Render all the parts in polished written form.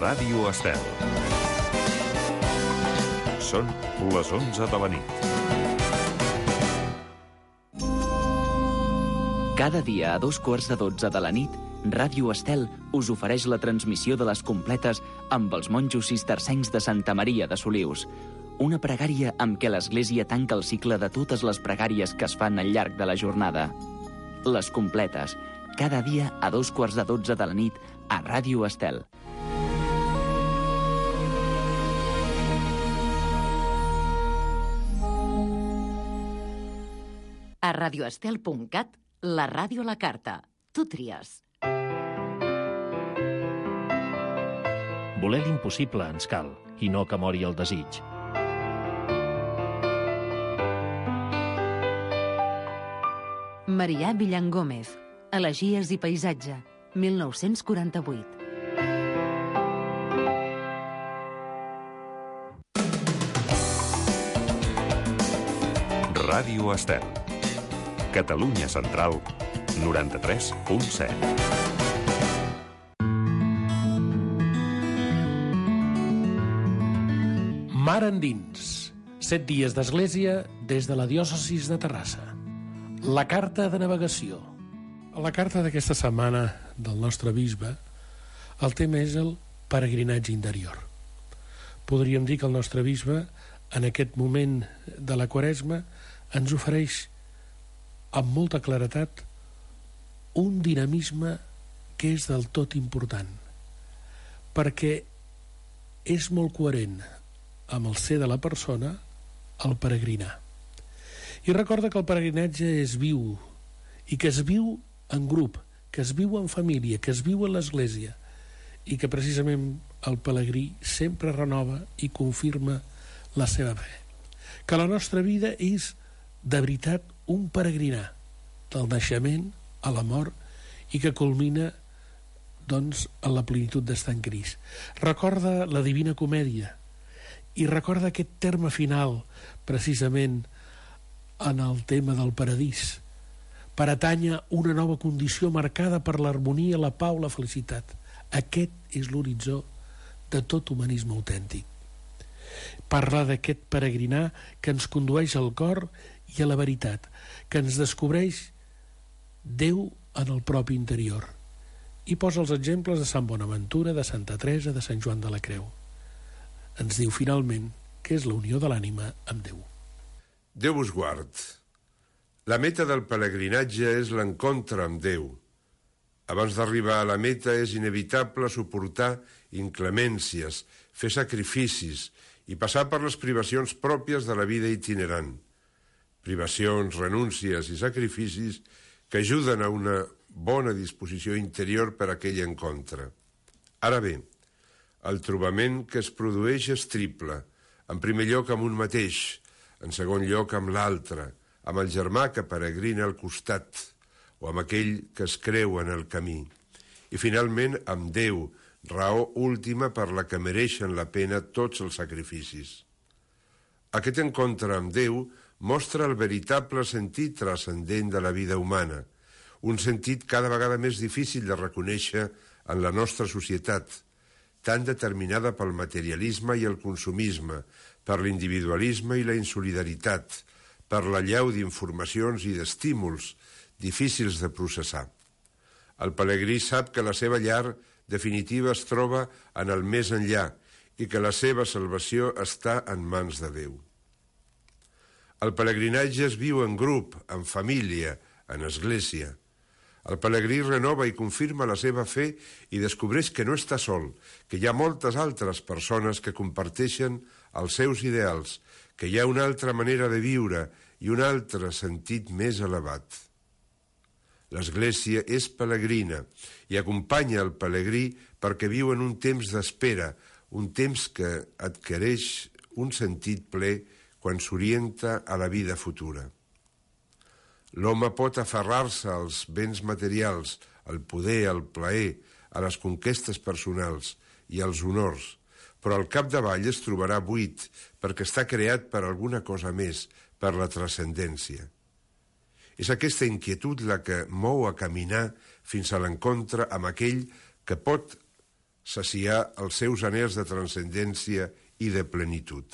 Ràdio Estel. Són les 11 de la nit. Cada dia a 2:15 de la nit, Ràdio Estel us ofereix la transmissió de les completes amb els monjos cistercencs de Santa Maria de Solius. Una pregària amb què l'Església tanca el cicle de totes les pregàries que es fan al llarg de la jornada. Les completes, cada dia a 2:15 de la nit a Ràdio Estel. A radioestel.cat, la ràdio a la carta. Tu tries. Voler l'impossible ens cal, i no que mori el desig. Marià Villan Gómez, Elegies i paisatge, 1948. Ràdio Estel. Catalunya Central, 93.7. Mar endins. 7 dies d'església des de la diòcesis de Terrassa. La carta de navegació. A la carta d'aquesta setmana del nostre bisbe, el tema és el peregrinatge interior. Podríem dir que el nostre bisbe, en aquest moment de la Quaresma, ens ofereix amb molta claretat un dinamisme que és del tot important, perquè és molt coherent amb el ser de la persona el peregrinar. I recorda que el peregrinatge és viu, i que es viu en grup, que es viu en família, que es viu en l'Església, i que precisament el pelegrí sempre renova i confirma la seva fe. Que la nostra vida és de veritat un peregrinar del naixement a la mort i que culmina doncs en la plenitud d'estar en Crist. Recorda la Divina Comèdia i recorda aquest terme final precisament en el tema del paradís, per atànyer una nova condició marcada per l'harmonia, la pau, la felicitat. Aquest és l'horitzó de tot humanisme autèntic. Parla d'aquest peregrinar que ens condueix al cor i a la veritat, que ens descobreix Déu en el propi interior. I posa els exemples de Sant Bonaventura, de Santa Teresa, de Sant Joan de la Creu. Ens diu finalment que és la unió de l'ànima amb Déu. Déu us guard. La meta del pelegrinatge és l'encontre amb Déu. Abans d'arribar a la meta és inevitable suportar inclemències, fer sacrificis i passar per les privacions pròpies de la vida itinerant. Privacions, renúncies i sacrificis que ajuden a una bona disposició interior per a aquell encontre. Ara bé, el trobament que es produeix és triple. En primer lloc amb un mateix, en segon lloc amb l'altre, amb el germà que peregrina al costat, o amb aquell que es creu en el camí. I finalment amb Déu, raó última per la que mereixen la pena tots els sacrificis. Aquest encontre amb Déu mostra el veritable sentit transcendent de la vida humana, un sentit cada vegada més difícil de reconèixer en la nostra societat, tan determinada pel materialisme i el consumisme, per l'individualisme i la insolidaritat, per l'allau d'informacions i d'estímuls difícils de processar. El pelegrí sap que la seva llar definitiva es troba en el més enllà i que la seva salvació està en mans de Déu. El pelegrinatge es viu en grup, en família, en església. El pelegrí renova i confirma la seva fe i descobreix que no està sol, que hi ha moltes altres persones que comparteixen els seus ideals, que hi ha una altra manera de viure i un altre sentit més elevat. L'Església és pelegrina i acompanya el pelegrí perquè viu en un temps d'espera, un temps que adquireix un sentit ple quan s'orienta a la vida futura. L'home pot aferrar-se als béns materials, al poder, al plaer, a les conquestes personals i als honors, però al capdavall es trobarà buit perquè està creat per alguna cosa més, per la transcendència. És aquesta inquietud la que mou a caminar fins a l'encontre amb aquell que pot saciar els seus anhels de transcendència i de plenitud.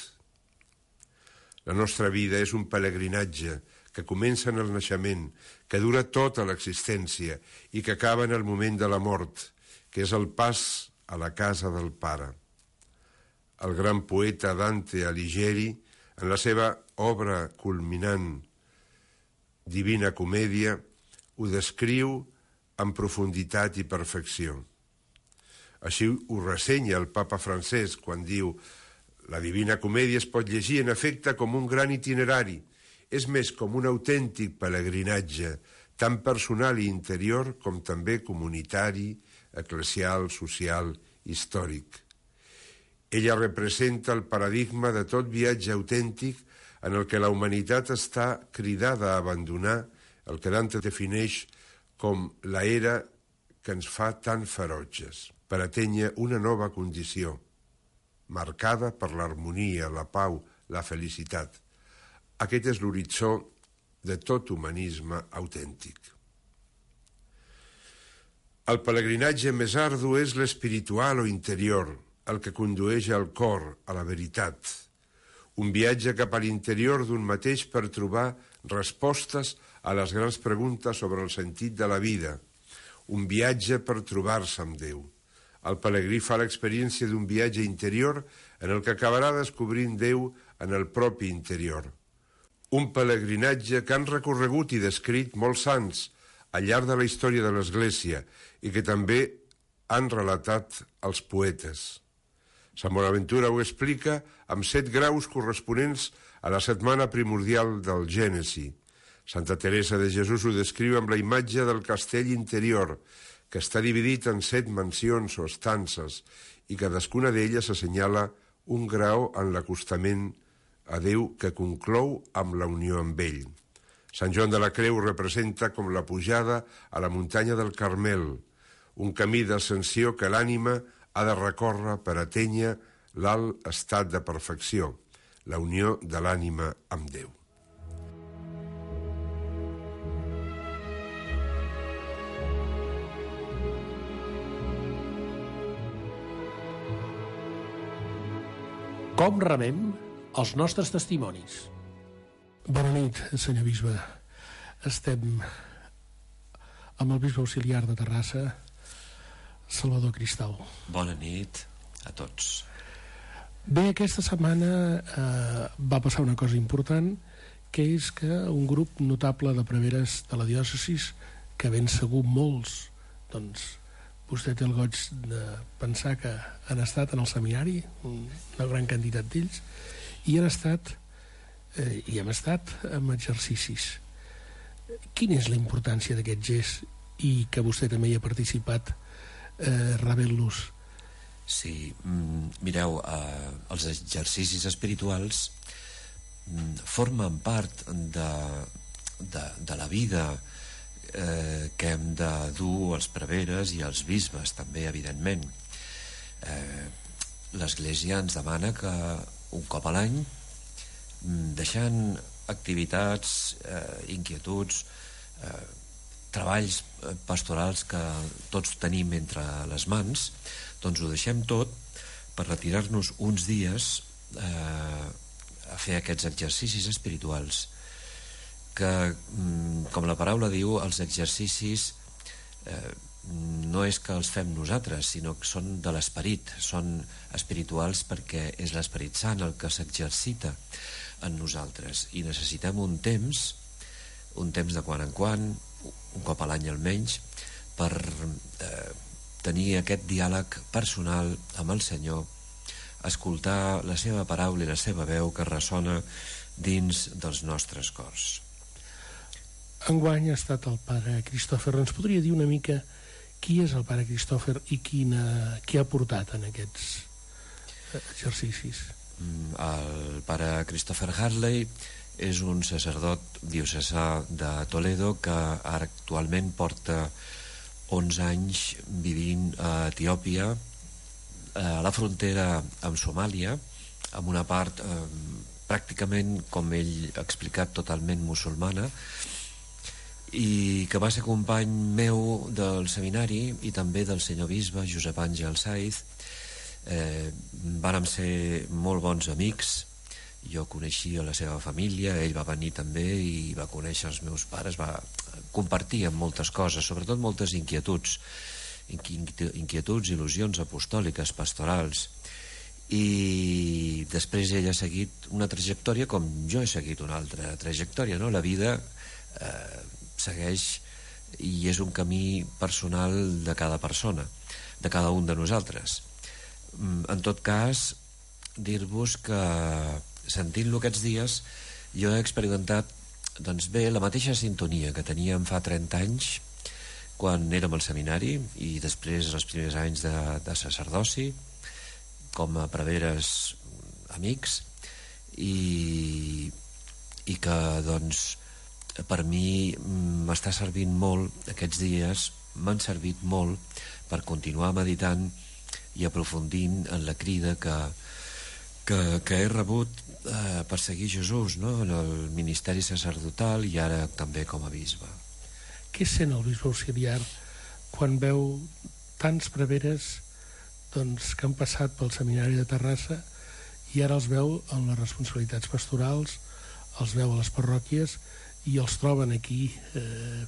La nostra vida és un pelegrinatge que comença en el naixement, que dura tota l'existència i que acaba en el moment de la mort, que és el pas a la casa del Pare. El gran poeta Dante Alighieri, en la seva obra culminant Divina Comèdia, ho descriu amb profunditat i perfecció. Així ho ressenya el papa Francesc quan diu: la Divina Comèdia es pot llegir en efecte com un gran itinerari, és més com un autèntic pelegrinatge, tant personal i interior com també comunitari, eclesial, social, històric. Ella representa el paradigma de tot viatge autèntic en el que la humanitat està cridada a abandonar el que Dante defineix com la era que ens fa tan ferotges, per atènyer una nova condició, marcada per l'harmonia, la pau, la felicitat. Aquest és l'horitzó de tot humanisme autèntic. El pelegrinatge més ardu és l'espiritual o interior, el que condueix al cor, a la veritat. Un viatge cap a l'interior d'un mateix per trobar respostes a les grans preguntes sobre el sentit de la vida. Un viatge per trobar-se amb Déu. El pelegrí fa l'experiència d'un viatge interior en el que acabarà descobrint Déu en el propi interior. Un pelegrinatge que han recorregut i descrit molts sants al llarg de la història de l'Església i que també han relatat els poetes. Sant Bonaventura ho explica amb 7 graus corresponents a la setmana primordial del Gènesi. Santa Teresa de Jesús ho descriu amb la imatge del castell interior, que està dividit en 7 mansions o estances i cadascuna d'elles assenyala un grau en l'acostament a Déu que conclou amb la unió amb ell. Sant Joan de la Creu representa com la pujada a la muntanya del Carmel, un camí d'ascensió que l'ànima ha de recórrer per atènyer l'alt estat de perfecció, la unió de l'ànima amb Déu. Com rebem els nostres testimonis? Bona nit, senyor bisbe. Estem amb el bisbe auxiliar de Terrassa, Salvador Cristal. Bona nit a tots. Bé, aquesta setmana va passar una cosa important, que és que un grup notable de preveres de la diòcesis, que ben segur molts, doncs vostè té el goig de pensar que han estat en el seminari, una gran quantitat d'ells, i hem estat en exercicis. Quina és la importància d'aquest gest i que vostè també hi ha participat rebent-los? Sí, mireu, els exercicis espirituals formen part de la vida que hem de dur els preveres i els bisbes també, evidentment. L'Església ens demana que un cop a l'any, deixant activitats, inquietuds, treballs pastorals que tots tenim entre les mans, doncs ho deixem tot per retirar-nos uns dies a fer aquests exercicis espirituals que, com la paraula diu, els exercicis no és que els fem nosaltres, sinó que són de l'esperit, són espirituals perquè és l'Esperit Sant el que s'exercita en nosaltres i necessitem un temps de quan en quan, un cop a l'any almenys, per tenir aquest diàleg personal amb el Senyor, escoltar la seva paraula i la seva veu que ressona dins dels nostres cors. Enguany ha estat el pare Cristòfer. Ens podria dir una mica qui és el pare Cristòfer i qui ha portat en aquests exercicis? El pare Christopher Harley és un sacerdot diocesà de Toledo que ara actualment porta 11 anys vivint a Etiòpia, a la frontera amb Somàlia, amb una part pràcticament, com ell ha explicat, totalment musulmana, i que va ser company meu del seminari i també del senyor bisbe Josep Àngel Saiz. Vàrem ser molt bons amics. Jo coneixia la seva família, ell va venir també i va conèixer els meus pares, va compartir amb moltes coses, sobretot moltes inquietuds, il·lusions apostòliques, pastorals. I després ell ha seguit una trajectòria com jo he seguit una altra trajectòria, no? La vida segueix i és un camí personal de cada persona, de cada un de nosaltres. En tot cas, dir-vos que sentint-lo aquests dies jo he experimentat, doncs bé, la mateixa sintonia que teníem fa 30 anys quan érem al seminari i després els primers anys de sacerdoci com a preveres amics i que doncs per mi m'està servint molt aquests dies, m'han servit molt per continuar meditant i aprofundint en la crida que he rebut per seguir Jesús, no? En el ministeri sacerdotal i ara també com a bisbe. Què sent el bisbe auxiliar quan veu tants preveres doncs, que han passat pel seminari de Terrassa i ara els veu en les responsabilitats pastorals, els veu a les parròquies i els troben aquí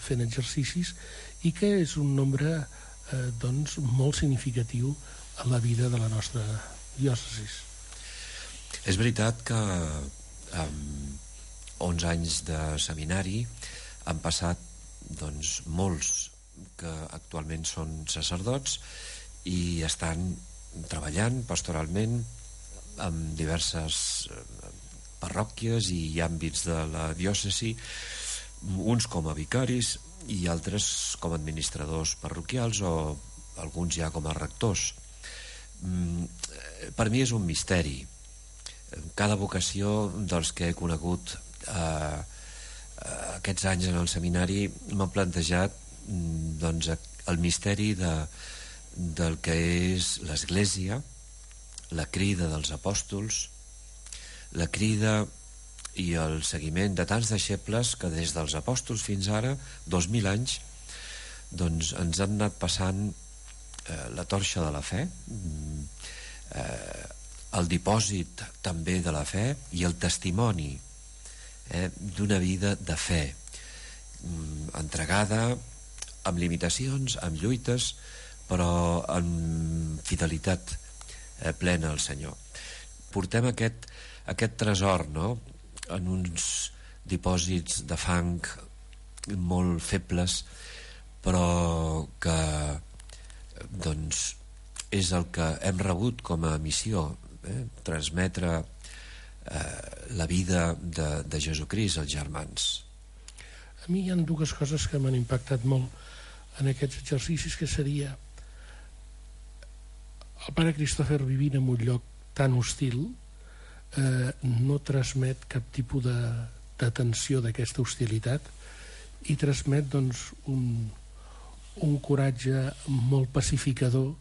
fent exercicis i que és un nombre doncs, molt significatiu en la vida de la nostra diòcesis? És veritat que amb 11 anys de seminari han passat doncs, molts que actualment són sacerdots i estan treballant pastoralment en diverses parròquies i àmbits de la diòcesi, uns com a vicaris i altres com a administradors parroquials o alguns ja com a rectors. Per mi és un misteri. Cada vocació dels que he conegut aquests anys en el seminari m'ha plantejat doncs, el misteri del que és l'Església, la crida dels apòstols, la crida i el seguiment de tants deixebles que des dels apòstols fins ara, 2000 anys, doncs ens han anat passant la torxa de la fe, el dipòsit també de la fe i el testimoni d'una vida de fe entregada amb limitacions, amb lluites, però amb fidelitat plena al Senyor. Portem aquest tresor, no?, en uns dipòsits de fang molt febles, però que doncs és el que hem rebut com a missió, transmetre la vida de Jesucrist als germans. A mi hi ha dues coses que m'han impactat molt en aquests exercicis, que seria el pare Cristòfer vivint en un lloc tan hostil no transmet cap tipus de tensió d'aquesta hostilitat i transmet doncs, un coratge molt pacificador,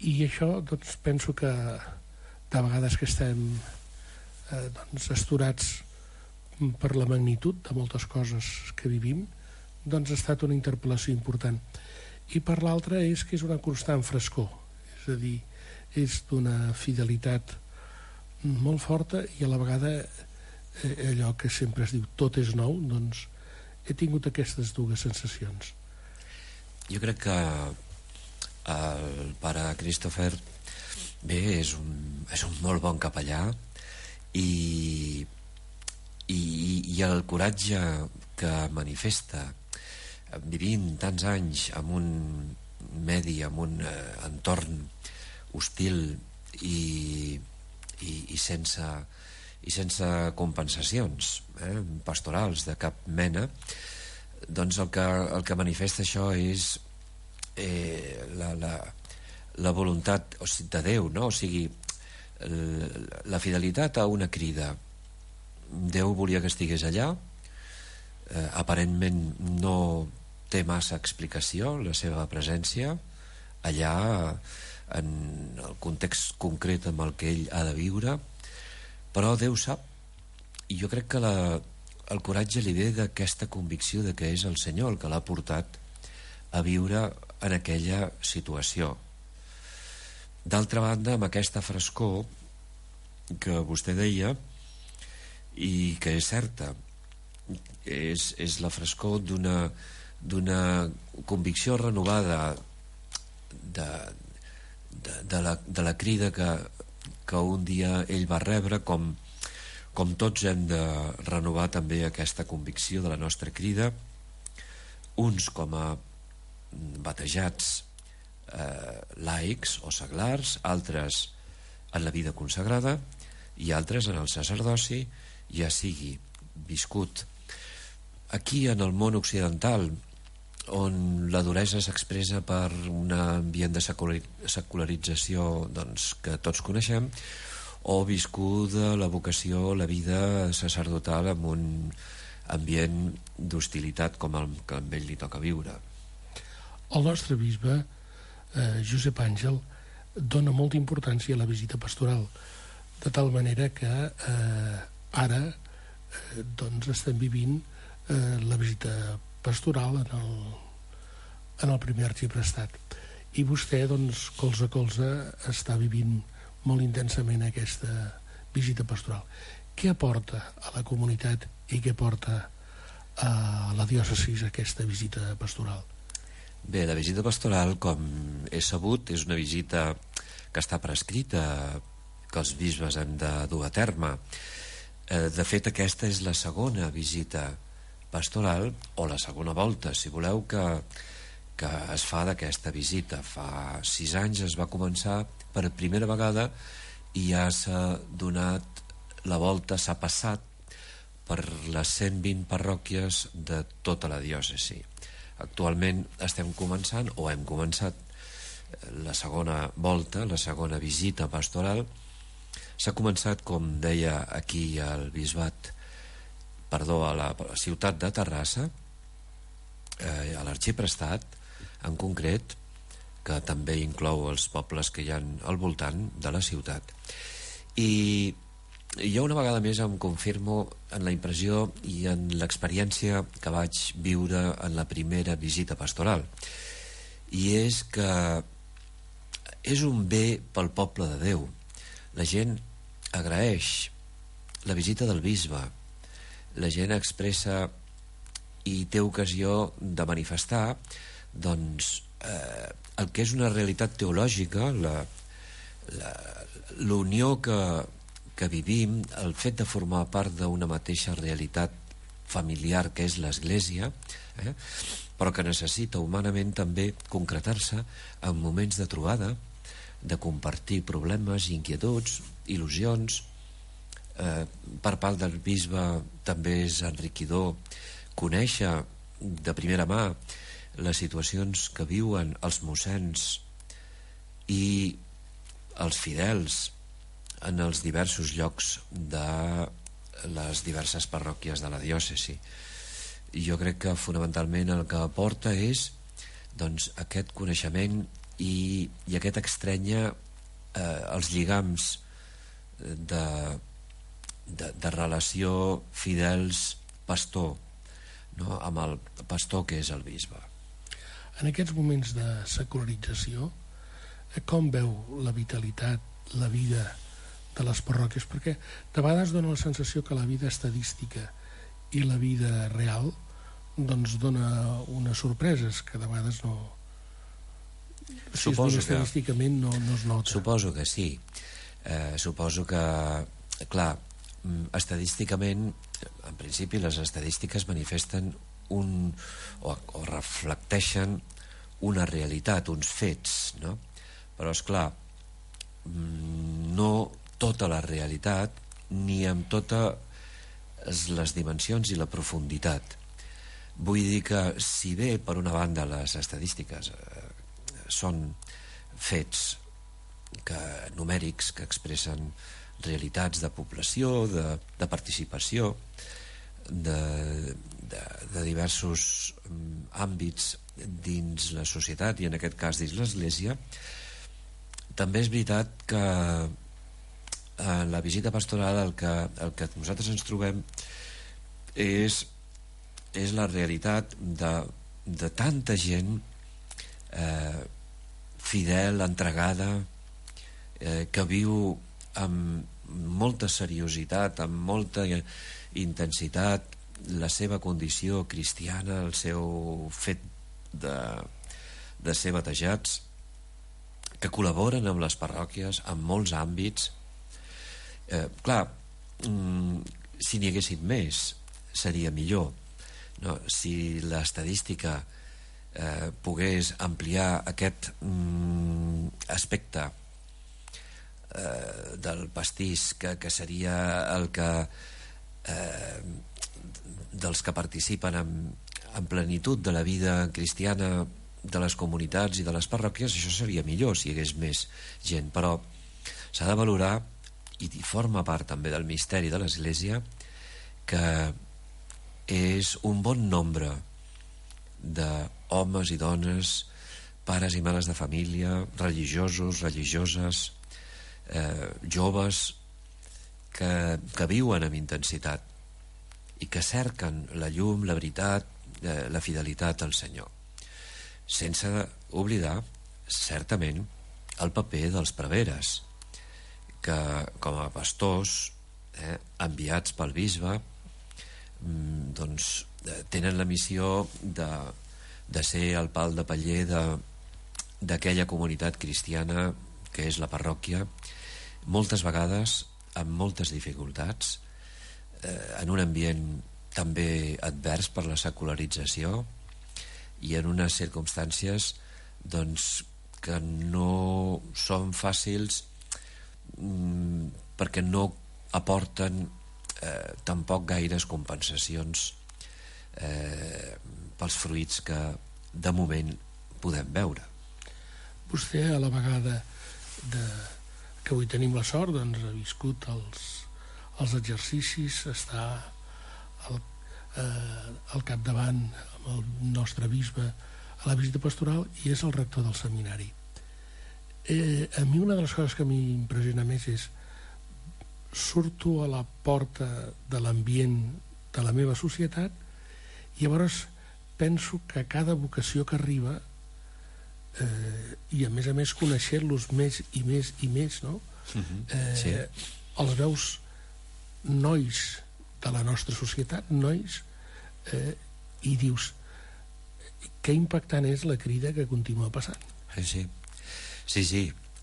i això doncs, penso que de vegades que estem doncs, astorats per la magnitud de moltes coses que vivim, doncs ha estat una interpel·lació important. I per l'altra és que és una constant frescor, és a dir, és d'una fidelitat molt forta i a la vegada allò que sempre es diu tot és nou, doncs he tingut aquestes dues sensacions. Jo crec que el pare Cristòfer bé, és un molt bon capellà i el coratge que manifesta vivint tants anys en un medi, en un entorn hostil i sense compensacions pastorals de cap mena, doncs el que manifesta això és la voluntat de Déu, no? O sigui, la fidelitat a una crida. Déu volia que estigués allà, aparentment no té massa explicació la seva presència allà en el context concret amb el que ell ha de viure, però Déu sap, i jo crec que el coratge li ve d'aquesta convicció de que és el Senyor el que l'ha portat a viure en aquella situació. D'altra banda, amb aquesta frescor que vostè deia, i que és certa, és la frescor d'una convicció renovada de la crida que un dia ell va rebre, com tots hem de renovar també aquesta convicció de la nostra crida, uns com a batejats laics o seglars, altres en la vida consagrada i altres en el sacerdoci, ja sigui viscut aquí en el món occidental, on la duresa s'expressa per un ambient de secularització que tots coneixem, o viscuda la vocació, la vida sacerdotal en un ambient d'hostilitat com el que amb ell li toca viure. El nostre bisbe, Josep Àngel, dona molta importància a la visita pastoral, de tal manera que ara estem vivint la visita pastoral en el primer arxiprestat, i vostè colze a colze està vivint molt intensament aquesta visita pastoral. Què aporta a la comunitat i què aporta a la diòcesi aquesta visita pastoral? Bé, la visita pastoral, com és sabut, és una visita que està prescrita, que els bisbes hem de dur a terme. De fet, aquesta és la segona visita pastoral, o la segona volta, si voleu, que es fa d'aquesta visita. Fa 6 anys es va començar per primera vegada i ja s'ha donat la volta, s'ha passat per les 120 parròquies de tota la diòcesi. Actualment estem començant, o hem començat, la segona volta, la segona visita pastoral. S'ha començat, com deia aquí al bisbat, a la ciutat de Terrassa, a l'arxiprestat en concret, que també inclou els pobles que hi ha al voltant de la ciutat. I jo una vegada més em confirmo en la impressió i en l'experiència que vaig viure en la primera visita pastoral, i és que és un bé pel poble de Déu. La gent agraeix la visita del bisbe, la gent expressa i té ocasió de manifestar el que és una realitat teològica, l'unió que vivim, el fet de formar part d'una mateixa realitat familiar que és l'Església, però que necessita humanament també concretar-se en moments de trobada, de compartir problemes, inquietuds, il·lusions. Per part del bisbe també és enriquidor conèixer de primera mà les situacions que viuen els mossens i els fidels en els diversos llocs de les diverses parròquies de la diòcesi. Jo crec que fonamentalment el que aporta és aquest coneixement i aquest estrènyer els lligams de relació fidels-pastor, no? Amb el pastor que és el bisbe. En aquests moments de secularització, com veu la vitalitat, la vida de les parròquies? Perquè de vegades dona la sensació que la vida estadística i la vida real dona unes sorpreses que de vegades no... Suposo que estadísticament no es nota. Suposo que sí. Suposo que, clar, estadísticament, en principi les estadístiques manifesten o reflecteixen una realitat, uns fets, no? Però esclar, no tota la realitat ni amb totes les dimensions i la profunditat. Vull dir que si bé per una banda les estadístiques són fets numèrics que expressen realitats de població, de participació, de diversos àmbits dins la societat i en aquest cas dins l'Església, també és veritat que en la visita pastoral el que nosaltres ens trobem és la realitat de tanta gent fidel, entregada, que viu amb molta seriositat, amb molta intensitat la seva condició cristiana, el seu fet de ser batejats, que col·laboren amb les parròquies en molts àmbits. Clar, si n'hi haguessin més seria millor, no? Si l'estadística pogués ampliar aquest aspecte del pastís, que seria el que dels que participen en plenitud de la vida cristiana de les comunitats i de les parròquies, això seria millor si hi hagués més gent, però s'ha de valorar, i forma part també del misteri de l'Església, que és un bon nombre d'homes i dones, pares i mares de família, religiosos, religioses, joves, que viuen amb intensitat i que cerquen la llum, la veritat, la fidelitat al Senyor, sense oblidar certament el paper dels preveres, que com a pastors enviats pel bisbe doncs tenen la missió de ser el pal de paller d'aquella comunitat cristiana que és la parròquia, moltes vegades amb moltes dificultats, en un ambient també advers per la secularització i en unes circumstàncies doncs que no són fàcils, perquè no aporten tampoc gaires compensacions pels fruits que de moment podem veure. Vostè, a la vegada que avui tenim la sort, doncs ha viscut els exercicis, està al capdavant amb el nostre bisbe a la visita pastoral i és el rector del seminari. A mi una de les coses que m'impressiona més és surto a la porta de l'ambient de la meva societat i llavors penso que cada vocació que arriba i a més conèixer-los més i més i més, no? Sí. Els veus nois de la nostra societat, nois, i dius que impactant és la crida que continua passant. Sí,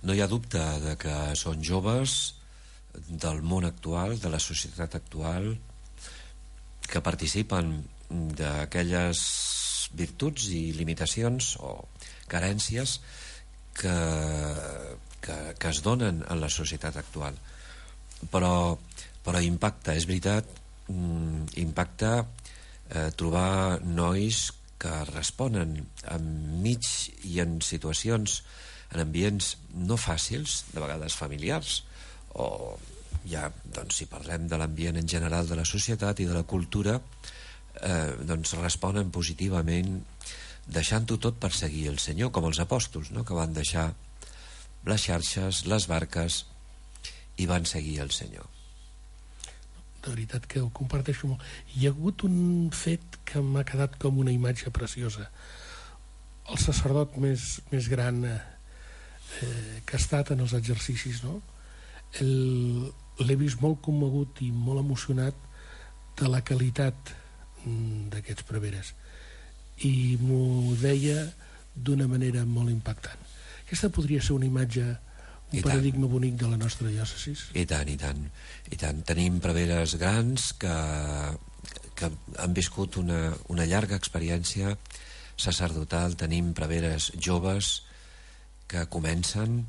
no hi ha dubte de que són joves del món actual, de la societat actual, que participen d'aquelles virtuts i limitacions o carències que es donen en la societat actual, però impacta, és veritat, impacta trobar nois que responen enmig i en situacions, en ambients no fàcils, de vegades familiars, o ja, doncs, si parlem de l'ambient en general de la societat i de la cultura, doncs responen positivament, deixant-ho tot per seguir el Senyor, com els apòstols, no?, que van deixar les xarxes, les barques, i van seguir el Senyor. De veritat que ho comparteixo molt. Hi ha hagut un fet que m'ha quedat com una imatge preciosa. El sacerdot més gran que ha estat en els exercicis, no? L'he vist molt commogut i molt emocionat de la qualitat d'aquests preveres, i m'ho deia d'una manera molt impactant. Aquesta podria ser una imatge, un paradigma bonic de la nostra diòcesi. I tant. Tenim preveres grans que han viscut una llarga experiència sacerdotal, tenim preveres joves que comencen,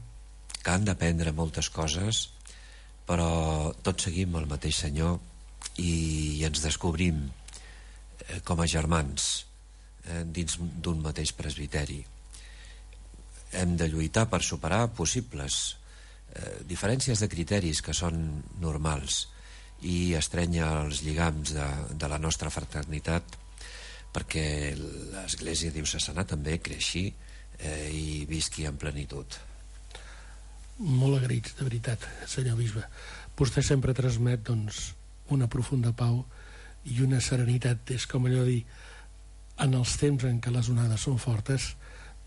que han d'aprendre moltes coses, però tots seguim el mateix Senyor i ens descobrim com a germans dins d'un mateix presbiteri. Hem de lluitar per superar possibles diferències de criteris que són normals i estrènyer els lligams de la nostra fraternitat, perquè l'Església diocesana també creixi i visqui en plenitud. Molt agraïts, de veritat, senyor bisbe. Vostè sempre transmet, doncs, una profunda pau i una serenitat. És com allò de dir, en els temps en què les onades són fortes,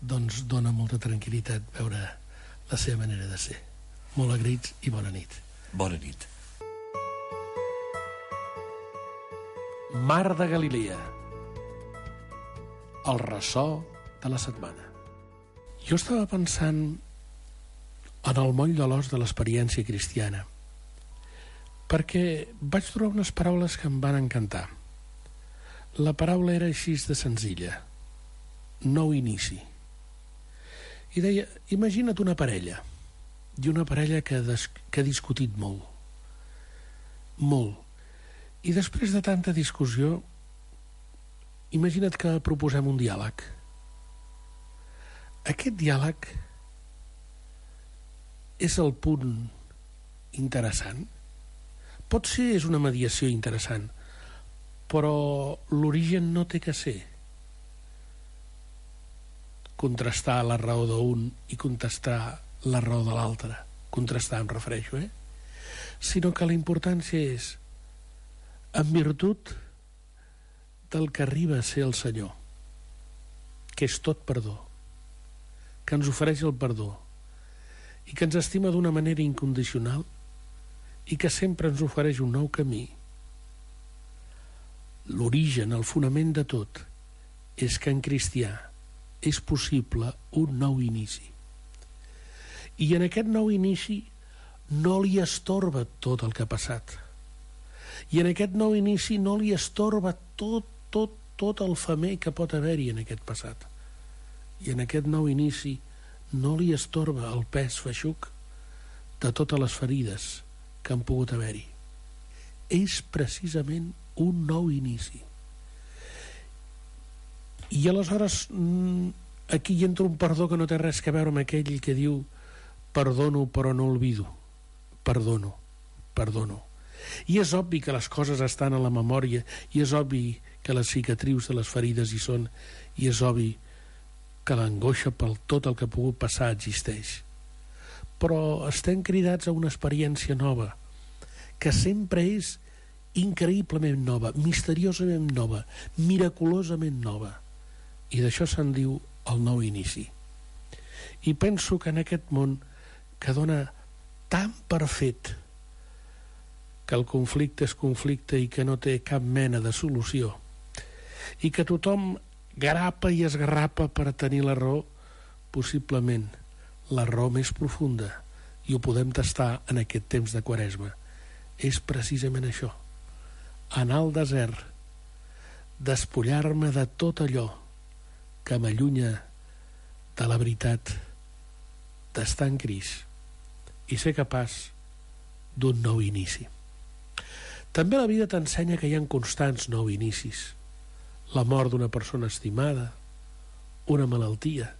doncs dona molta tranquil·litat veure la seva manera de ser. Molt agraïts i bona nit. Bona nit. Mar de Galilea, el ressò de la setmana. Jo estava pensant en el moll de l'os de l'experiència cristiana, perquè vaig trobar unes paraules que em van encantar. La paraula era així de senzilla: nou inici. I deia, imagina't una parella, i una parella que ha discutit molt, i després de tanta discussió, imagina't que proposem un diàleg. Aquest diàleg és el punt interessant. Potser és una mediació interessant, però l'origen no té que ser contrastar la raó d'un i contrastar la raó de l'altre. Contrastar, em refereixo, sinó que la importància és en virtut del que arriba a ser el Senyor, que és tot perdó, que ens ofereix el perdó i que ens estima d'una manera incondicional i que sempre ens ofereix un nou camí. L'origen, el fonament de tot, és que en cristià és possible un nou inici. I en aquest nou inici no li estorba tot el que ha passat. I en aquest nou inici no li estorba tot el femer que pot haver-hi en aquest passat. I en aquest nou inici no li estorba el pes feixuc de totes les ferides que han pogut haver-hi. És precisament un nou inici. I aleshores aquí hi entra un perdó que no té res a veure amb aquell que diu perdono però no olvido. Perdono. I és obvi que les coses estan a la memòria, i és obvi que les cicatrius de les ferides hi són, i és obvi que l'angoixa per tot el que ha pogut passar existeix. Però estem cridats a una experiència nova, que sempre és increïblement nova, misteriosament nova, miraculosament nova. I d'això se'n diu el nou inici. I penso que en aquest món que dona tan per fet que el conflicte és conflicte i que no té cap mena de solució, i que tothom grapa i esgarrapa per tenir la raó, possiblement la raó més profunda, i ho podem tastar en aquest temps de Quaresma, és precisament això: anar al desert, despullar-me de tot allò que m'allunya de la veritat, d'estar en Crist i ser capaç d'un nou inici. També la vida t'ensenya que hi ha constants nous inicis. La mort d'una persona estimada, una malaltia.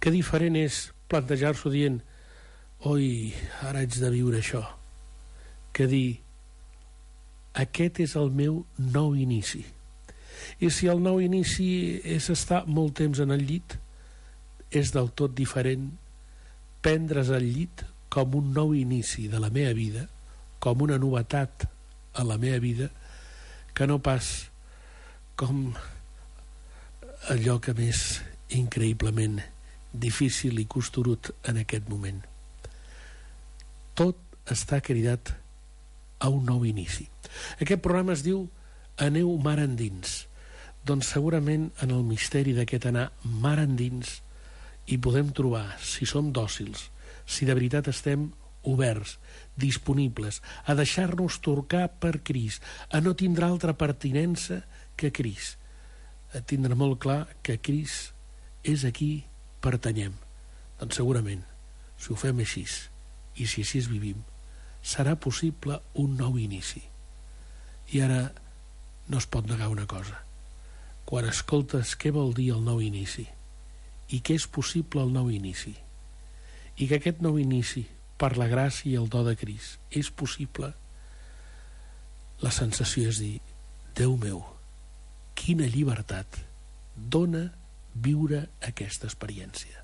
Que diferent és plantejar-s'ho dient oi, ara haig de viure això, que dir aquest és el meu nou inici. I si el nou inici és estar molt temps en el llit, és del tot diferent prendre's el llit com un nou inici de la meva vida, com una novetat a la meva vida, que no pas com allò que m'és increïblement difícil i costurut en aquest moment. Tot està cridat a un nou inici. Aquest programa es diu Aneu mar endins. Doncs segurament en el misteri d'aquest anar mar endins hi podem trobar, si som dòcils, si de veritat estem oberts, disponibles a deixar-nos torcar per Crist, a no tindre altra pertinença que Crist, a tindre molt clar que Crist és aquí pertanyem. Doncs segurament, si ho fem així i si així vivim, serà possible un nou inici. I ara no es pot negar una cosa: quan escoltes què vol dir el nou inici i què és possible el nou inici, i que aquest nou inici, per la gràcia i el do de Crist, és possible, la sensació és dir: Déu meu, quina llibertat dona viure aquesta experiència.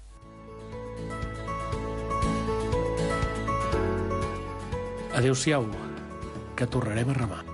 Adéu-siau, que tornarem a remar.